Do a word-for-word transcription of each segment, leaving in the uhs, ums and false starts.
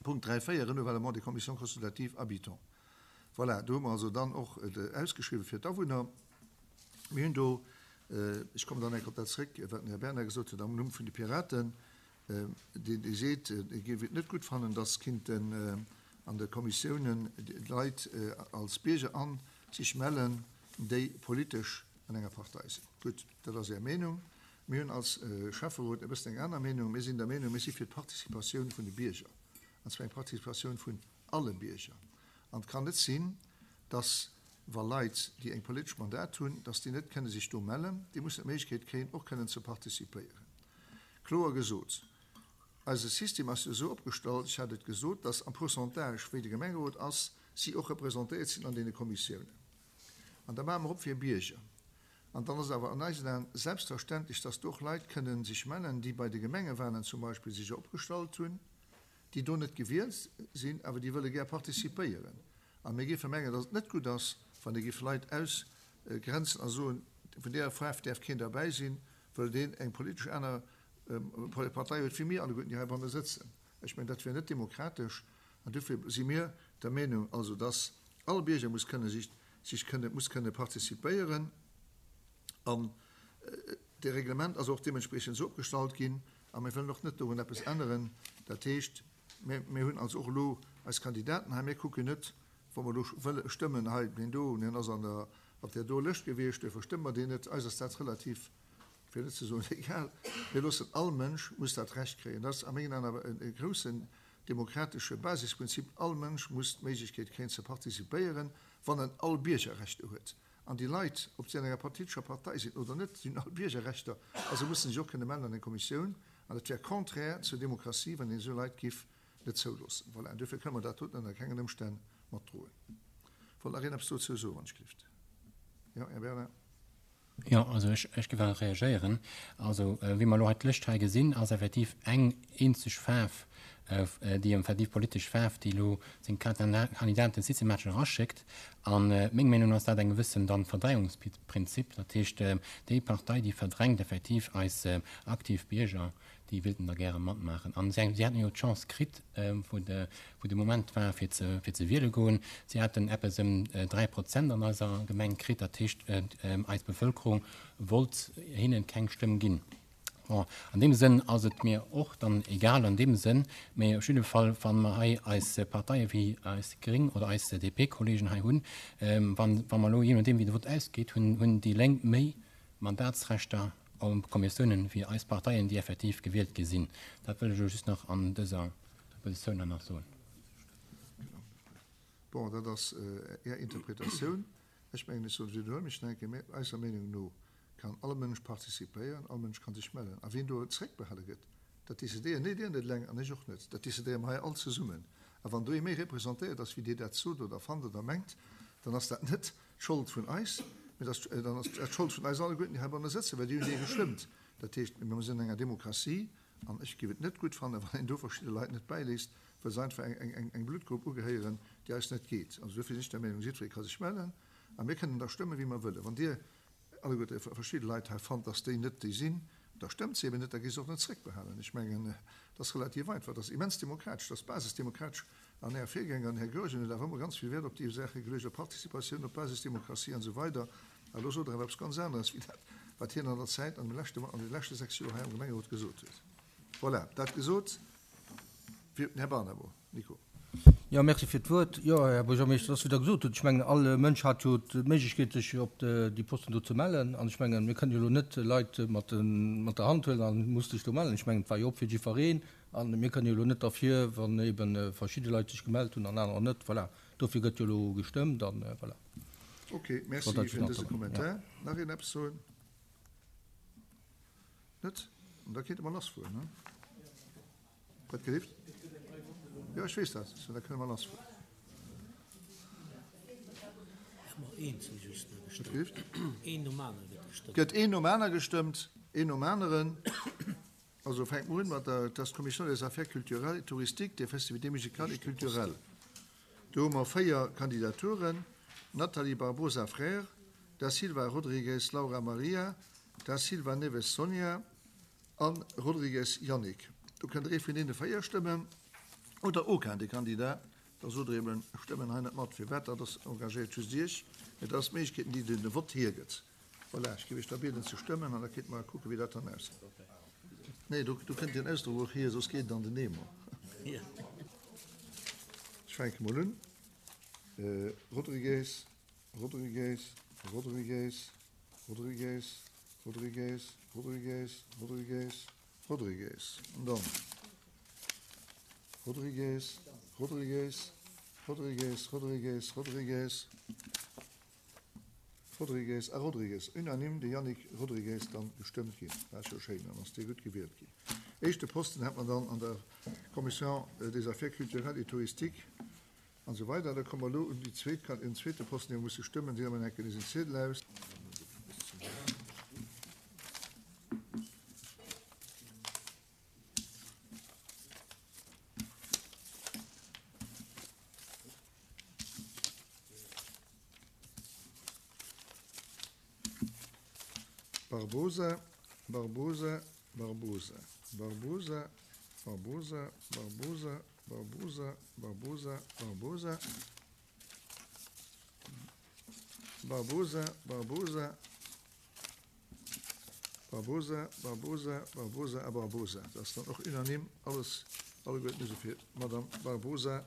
Punkt dräi véier, Renouvellement des commissions consultatives habitants. Voilà, do hu mer also dann och ausgeschriwwen fir d'Awunner. Mir hunn do, ech kommen dann eng Kéier op dat zréck, wat den Här Bernard gesot huet am Numm vun de Piraten, deen dee seet, e géif et net gutt fannen, dass kinnten an de Kommissiounen Leit als Bierger a sech mellen, déi politesch an enger Partei sinn. Gutt, dat ass Är Meenung. Mir hunn als Schäfferot e bëssen eng aner Meenung. Mir sinn der Meenung, mir si fir d'Participatioun vun de Bierger, an zwar eng Participatioun vun alle Bierger. An et kann net sinn, dass, wa Leit, déi eng politesch Mandat hunn, dass déi net kënne sech do mellen. Déi mussen d'Méiglechkeet kréien, och kënnen ze participéieren. Kloer gesot, eise System ass jo esou opgestallt, ech hat et gesot, dass am Pourcentage, wéi de Gemengerot ass, si och representéiert sinn an deene Kommissiounen. An da maache mer op fir Bierger. An dann ass et awer an eisen Aen selbstverständlech, dass do och Leit kënnen sech mellen, déi bei de Gemengewahlen zum Beispill sech opgestallt hunn, déi do net gewielt sinn, awer déi wëlle gär participéieren. A mir géife mengen, dass et net gutt ass, wann ee géif Leit ausgrenzen a soen, vun deeër Faarf däerf keen derbäi sinn, wëll deen eng politesch aner Partei huet wéi mir alleguerten, déi heibanne sëtzen. Ech mengen, dat wär net demokratesch. An dofir si mir der Meenung also, dass all Bierger muss kënne sich, sich kënne, muss kënne participéieren. An de Reglement ass och deementspriechend esou opgestallt ginn. A mir wëllen och net dorun eppes änneren. Dat heescht, mir, mir hunn also och elo eis Kandidaten hei. Mir kucken net, wa mer elo wëlle stëmmen, hei deen do, deen ass an der, op där do Lëscht gewiescht, duerfir stëmme mer deen net. Eis ass dat relativ, fir net ze soen egal. Mir loossen, all Mënsch muss dat Recht kréien. Dat ass a mengen Aen awer e groussen demokratesche Basisprinzip. All Mënsch muss d'Méiglechkeet kréien ze participéieren, wann en all Biergerrechter huet. An déi Leit, ob si an enger politescher Partei sinn oder net, si hunn all Biergerrechter a se mussen sech och kënne mellen an eng Kommissioun. An et wär contraire zur Demokratie, wann een esou Leit giff net zouloossen. Voilà, an duerfir kënne mer dat doten ënner kengen Ëmstänn matdroen. Wollt nach een eppes dozou soen, wann ech gelift? Jo, Här Bernard. Jo, also ech, ech géif awer reagéieren. Also wéi mer elo hei d'Lëscht hei gesinn, ass effektiv eng eenzeg Faarf, déi effektiv politesch Faarf, déi elo seng Kandidaten systematesch eraschéckt. A meng Meenung no ass dat eng gewëssen dann Verdrängungsprinzip. Dat heescht, déi Partei, déi verdrängt effektiv eis aktiv Bierger, déi wéilten da gäre matmaachen. An si haten jo d'Chance kritt, wou de, wou de Moment war, fir ze, fir ze wiele goen. Si haten eppes ëm dräi Prozent an eiser Gemeng kritt. Dat heescht, eis Bevëlkerung wollt hinnen keng Stëmm ginn. Bon, an deem Sënn ass et mir och dann egal an deem Sënn, mä op jidde Fall, wa mer hei eis Parteie wéi eis Gréng oder eis D P-Kollegen hei hunn, wann, wa mer elo, jee nodeem wéi de Vott ausgeet, hunn, hunn déi Lénk méi Mandatsrechter a Kommissiounen wéi eis Parteien, déi effektiv gewielt gi sinn. Dat wëll ech elo just nach an dëser Positioun nach soen. Bon, dat ass Är Interpretatioun. Ech mengen, ech soen, widderhuele mech nach eng Kéier, mä eiser Meenung no kann all Mënsch participéieren, all Mënsch kann sech mellen. A wien do zréckbehale gëtt, dat decidéieren net Dir net eleng an ech och net, dat decidéiere mer hei all zesummen. A wann do ee méi representéiert ass, wéi Dir dat sot oder fannt oder mengt, dann ass dat net d'Schold vun eis, mä dann ass dat d'Schold vun eis alleguerten, déi heibanne sëtzen, well déi hunn dee gestëmmt. Dat heescht, mir sinn an enger Demokratie an ech géif et net gutt fannen, wann een do verschidde Leit net bäiléisst, well se einfach eng Bluttgrupp ugehéieren, déi eis net geet. Also dofir sinn ech der Meenung, jiddweree ka sech mellen a mir kënnen da stëmmen, wéi mer wëllen. Wann Dir alleguerte verschidde Leit hei fannt, dass déi net déi sinn, da stëmmt se eben net, da gi se och net zréckbehalen. Ech mengen, dat ass relativ einfach, dat ass immens demokratesch, dat ass basisdemokratesch. An Är Virgänger, den Här Goergen, huet awer ëmmer ganz vill Wäert op déi Saache geluecht, op Participatioun, op Basisdemokratie an esou weider. A elo sot Der awer eppes ganz aneres wéi dat, wat hien an der Zäit, an de leschte sechs Joer hei am Gemengerot gesot huet. Voilà, dat gesot. Fir den Här Barnabo. Nico. Jo, merci fir d'Wuert. Jo, Här Buergermeeschter, et ass, wéi Der gesot hutt, ech mengen, all Mënsch hat jo d'Méiglechkeet, sech op déi Posten do ze mellen. An ech mengen, mir kënnen jo elo net Leit mat mat der Hand huelen a muss dech do mellen. Ech mengen, et war jo op fir jiddwereen. A mir kënnen jo elo net derfir, wann eebe verschidde Leit sech gemellt hunn an anerer net. Voilà, dofir gëtt jo elo gestëmmt an voilà. Ok, merci fir dëse Kommentar. Nach een eppes soen? Net? Da kéinte mer lassfueren, ne? Wat gelift? Jo, ech weess dat. Da kënne mer lassfueren. Wat gelift? Gëtt een nom aner gestëmmt? Een nom aneren. Also fänke mer un mat der, dat ass d'Commission des Affaires culturelles et touristiques, des festivités musicales et culturelles. Do hu mer véier Kandidaturen, Nathalie Barbosa Freire, Da Silva Rodrigues Laura Maria, Da Silva Neves Sonia a Rodrigues Yannick. Do kënnt Der ee vun deene véier stëmmen. Oder aucun des candidats, da sot Der eben, ech stëmmen hei net mat. Firwat? Dat ass, engagéiert just Iech, mä dat ass d'Méiglechkeeten, déi den Vott hiergëtt. Voilà, ech géif Iech da bieden ze stëmmen an da kéinte mer kucken, wéi dat dann ausgeet. Nee, do, do kënnt den Ausdrock och hier, soss geet et an den Eemer. Ech fänke mol un. Rodrigues, Rodrigues, Rodrigues, Rodrigues, Rodrigues, Rodrigues, Rodrigues, Rodrigues. An dann Rodrigues, Rodrigues, Rodrigues, Rodrigues, Rodrigues, Rodrigues a Rodrigues. Unanime de Yannick Rodrigues dann gestëmmt ginn. Dat ass jo schéin, dann ass dee gutt gewielt ginn. Éischte Posten hat mer dann an der Commission des Affaires culturelles et touristiques an esou weider. Da komme mer elo un déi zweet, en zweete Posten, dee mer musse stëmmen. Deele mer enke eisen Ziedel aus. Barbosa, Barbosa, Barbosa, Barbosa, Barbosa, Barbosa, Barbosa, Barbosa, Barbosa, Barbosa, Barbosa, Barbosa, Barbosa, Barbosa a Barbosa. Dat ass dann och unanime alles, alleguerten hu se fir d'Madame Barbosa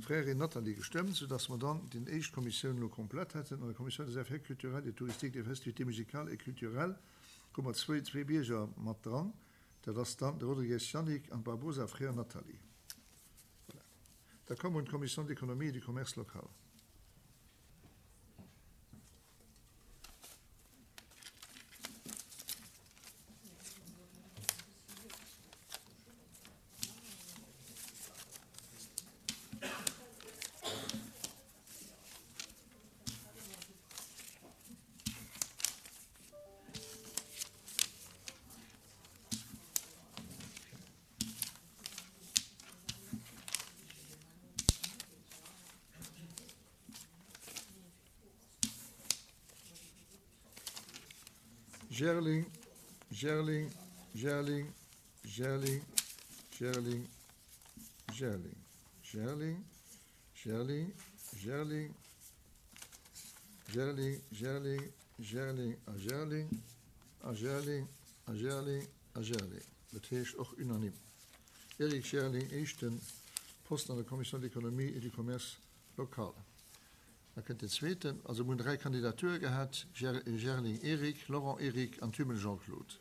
Frères Nathalie gestëmmt, soudass mer dann déi éischt Kommissioun elo komplett hätten. An der Commission des Affaires culturelles et touristiques, des festivités musicales et culturelles hu mer zwee, zwee Bierger mat dran. Dat ass dann de Rodrigues Yannick an d'Barbosa Frères Nathalie. Voilà. Da komme mer un d'Commission de l'économie et du commerce local. Gerling, Gerling, Gerling, Gerling, Gerling, Gerling, Gerling, Gerling, Gerling, Gerling, Gerling, Gerling a Gerling a Gerling a Gerling a Gerling. Dat heescht och unanime. Eric Gerling, éischte Posten an der Commission de l'économie et du commerce local. Da kënnt den zweeten, also mir hunn dräi Kandidature gehat, Gerling Eric, Laurent Eric an Thümmel Jean-Claude.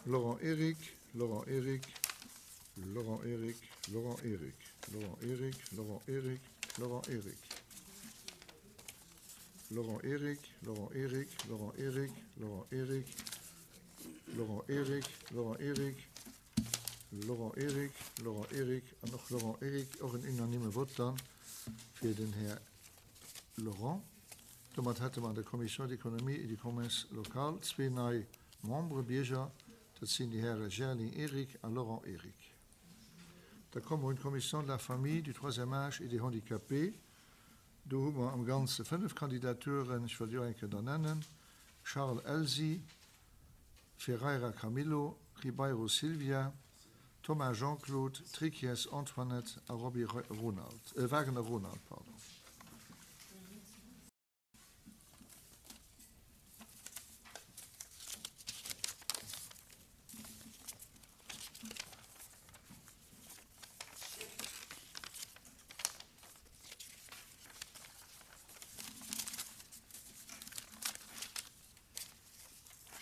Laurent Eric, Laurent Eric, Laurent Eric, Laurent Eric, Laurent Eric, Laurent Eric, Laurent Eric. Laurent Eric, Laurent Eric, Laurent Eric, Laurent Eric, Laurent Eric, Laurent Eric, Laurent Eric, Laurent Eric an och Laurent Eric, och en unanime Vott dann fir den Här Laurent. Domat hätte mer an der Commission d'économie et du commerce local zwee nei Membere, Bierger, dat sinn déi Häre Gerling Eric a Laurent Eric. Da komme mer un d'Commission de la famille, du troisième âge et des handicapés. Do hu mer am Ganze fënnef Kandidaturen. Ech wëll déi och eng Kéier da nennen, Charles Elsi, Ferreira Camilo, Ribeiro Silvia, Thomas Jean-Claude, Trikies Antoinette a Roby Ronald, Wagner Ronald, pardon.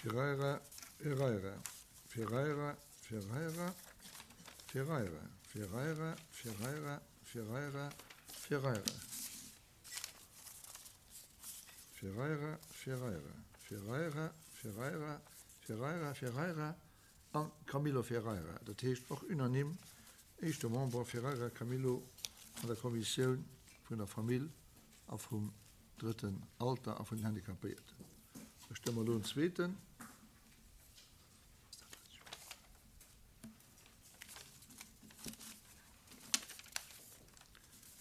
Ferreira, Ferreira, Ferreira, Ferreira, Ferreira, Ferreira, Ferreira, Ferreira, Ferreira, Ferreira, Ferreira, Ferreira, Ferreira, Ferreira, Ferreira An Camilo Ferreira. Dat heescht och unanime éischte Member Ferreira Camilo an der Kommissioun vun der Famill a vum drëtten Alter a vun den Handicapéierten. Da stëmme mer elo en zweeten.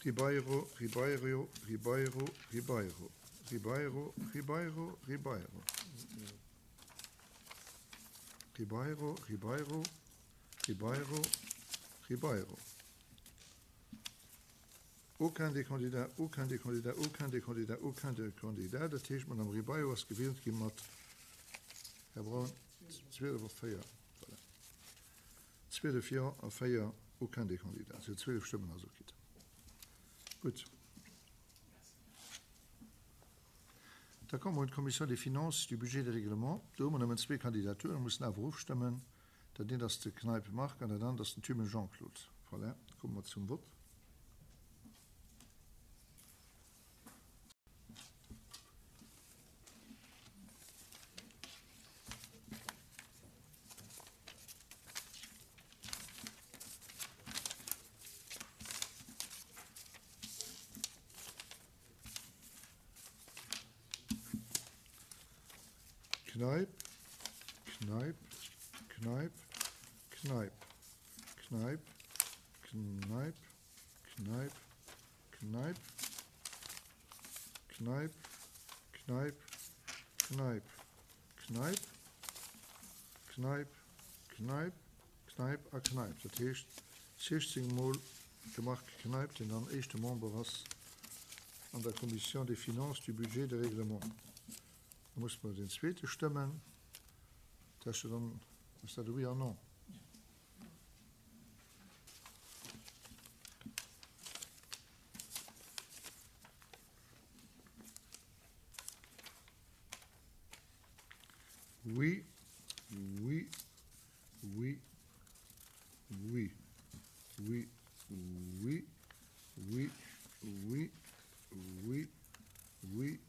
Ribeiro, Ribeiro, Ribeiro, Ribeiro, Ribeiro, Ribeiro, Ribeiro. Ribeiro, Ribeiro, Ribeiro, Ribeiro. Aucun des candidats, aucun des candidats, aucun des candidats, aucun des candidats. Dat heescht, d'Madame Ribeiro ass gewielt gi mat, Här Braun, zwielef op véier. Voilà. Zwielef Jo a véier aucun des candidats. Si huet zwielef Stëmmen also kritt. Gutt. Da komme mer un d'Commission des Finances, du Budget et des Règlements. Do hu mer nëmmen zwee Kandidaturen, mussen awer ofstëmmen. Dat eent ass de Kneip Marc an dat anert ass den Thümen Jean-Claude. Voilà, komme mer zum Vott. Kneip, Kneip, Kneip, Kneip, Kneip, Kneip, Kneip, Kneip, Kneip, Kneip, Kneip, Kneip, Kneip, Kneip, Kneip a Kneip. Dat heescht siechzéng Mol de Marc Kneip, deen dann éischte Member ass an der Commission des Finances, du Budget et des Règlements. Da musse mer deen zweete stëmmen. Dat ass jo dann, ass dat e Oui an Non? Oui, oui, oui, oui, oui, oui, oui, oui, oui, oui,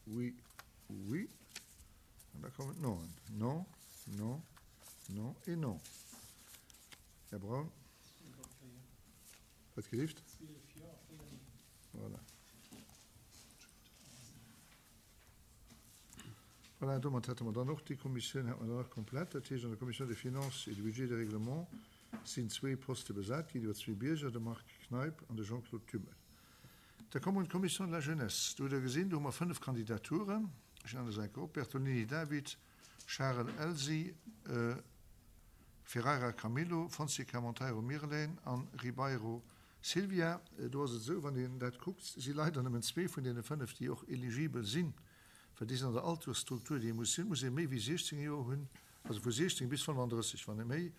oui, oui. An da kommen d'Noen. Non, non, non et non. Här Braun? Wat gelift? Voilà. Voilà, domat hätte mer dann och déi Kommissioun hätte mer dann och komplett. Dat heescht, an der Commission des Finances et du Budget et des Règlements sinn zwee Poste besat ginn iwwer zwee Bierger, de Marc Kneip an de Jean-Claude Thümmel. Da komme mer un d'Commission de la Jeunesse. Do hutt Der gesinn, do hu mer fënnef Kandidaturen. Ech nennen se eng Kéier op, Bertolini David, Charel Elsie, Ferreira Camilo, Fonseca Monteiro Mirlene an Ribeiro Silvia. Do ass et esou, wann een dat kuckt, si leider nëmmen zwee vun deene fënnef, déi och eligibel sinn, well déi sinn an der Altersstruktur, déi ee muss sinn, muss ee méi wéi siechzéng Joer hunn, also vu siechzéng bis fënnefandrësseg. Wann ee méi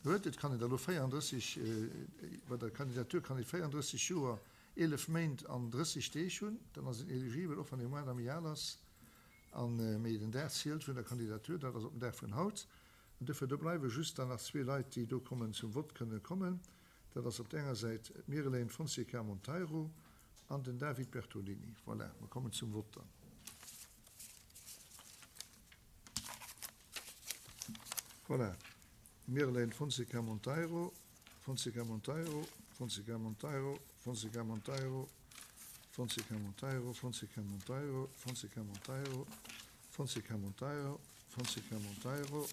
huet, et kann een der elo véierandrësseg, bei der Kandidatur kann ee véierandrësseg Joer, eelef Méint an drësseg Deeg hunn, dann ass een eligibel, och wann ee moins méi al ass. An, mee den Dag zielt vun der Kandidatur, dat ass op den Dag vun haut. An duerfir, do bleiwe just dann nach zwee Leit, déi do kommen zum Vott kënnen kommen. Dat ass op där enger Säit d'Mirlene Fonseca Monteiro an den David Bertolini. Voilà, mer kommen zum Vott dann. Voilà, Mirlene Fonseca Monteiro, Fonseca Monteiro, Fonseca Monteiro, Fonseca Monteiro, Fonseca Monteiro, Fonseca Monteiro, Fonseca Monteiro, Fonseca Monteiro, Fonseca Monteiro,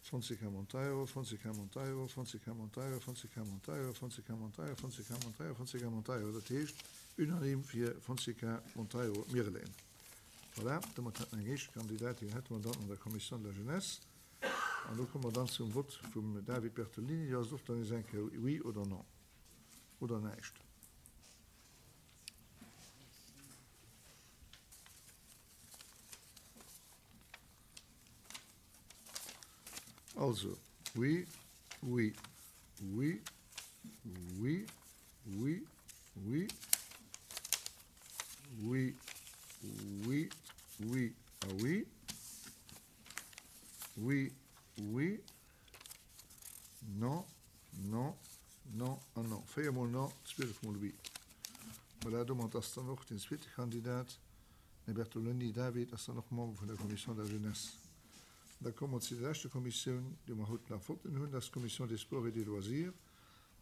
Fonseca Monteiro, Fonseca Monteiro, Fonseca Monteiro, Fonseca Monteiro, Fonseca Monteiro, Fonseca Monteiro, Fonseca Monteiro. Dat heescht unanime fir Fonseca Monteiro Mirlene. Voilà, domat hätte mer eng éischt Kandidatin hätte mer dann an der Commission de la Jeunesse. An do komme mer dann zum Vott vum David Bertolini. Do ass et och dann nees eng Kéier Oui oder Non oder näischt. Also, oui, oui, oui, oui, oui, oui, oui, oui, oui a oui, oui, oui, non, non, non an non. Véier mol non, zwielef mol oui. Voilà, domat ass dann och den zweete Kandidat, den Här Bertolini David, ass dann och Member vun der Commission de la Jeunesse. Da komme mer zu der leschter Kommissioun, déi mer haut nach wollten hunn, dat ass d'Commission des Sports et des Loisirs.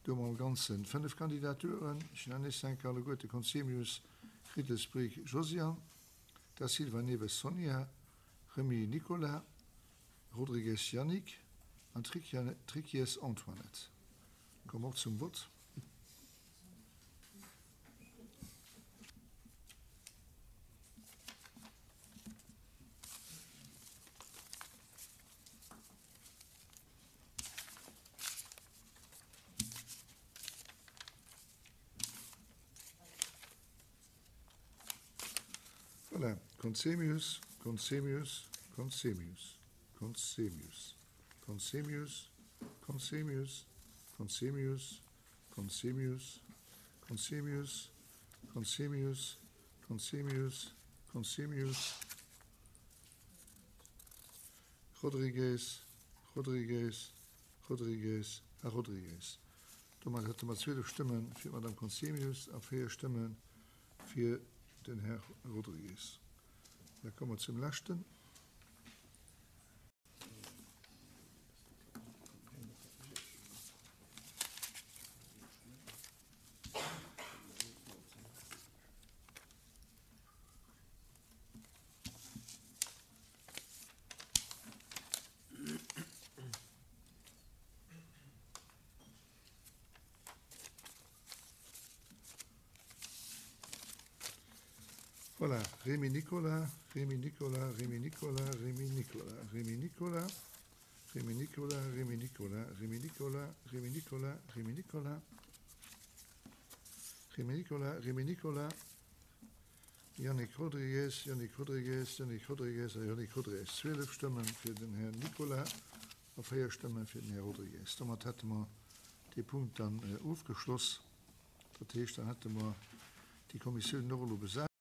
Do hu mer am Ganze fënnef Kandidaturen. Ech nennen nees eng Kéier alleguerte, Conzemius, Riedelsbrink Josiane, Da Silva Neves Sonia, Remy Nicolas, Rodrigues Yannick an Triquies Antoinette. Komme mer och zum Vott. Voilà, Conzemius, Conzemius, Conzemius, Conzemius, Conzemius, Conzemius, Conzemius, Conzemius, Conzemius, Conzemius, Conzemius, Conzemius, Rodrigues, Rodrigues, Rodrigues a Rodrigues. Domat hätte mer zwielef Stëmme fir d'Madame Conzemius a véier Stëmme fir den Här Rodrigues. Da komme mer zum leschten. Voilà, Rémy Nicolas, Rémy Nicolas, Rémy Nicolas, Rémy Nicolas, Rémy Nicolas, Rémy Nicolas, Rémy Nicolas, Rémy Nicolas, Rémy Nicolas, Rémy Nicolas, Rémy Nicolas, Rémy Nicolas, Yannick Rodrigues, Yannick Rodrigues, Yannick Rodrigues a Yannick Rodrigues. Zwielef Stëmme fir den Här Nicolas a véier Stëmme fir den Här Rodrigues. Domat hätte mer dee Punkt dann ofgeschloss. Dat heescht, dann hätte mer déi Kommissioun och elo besat.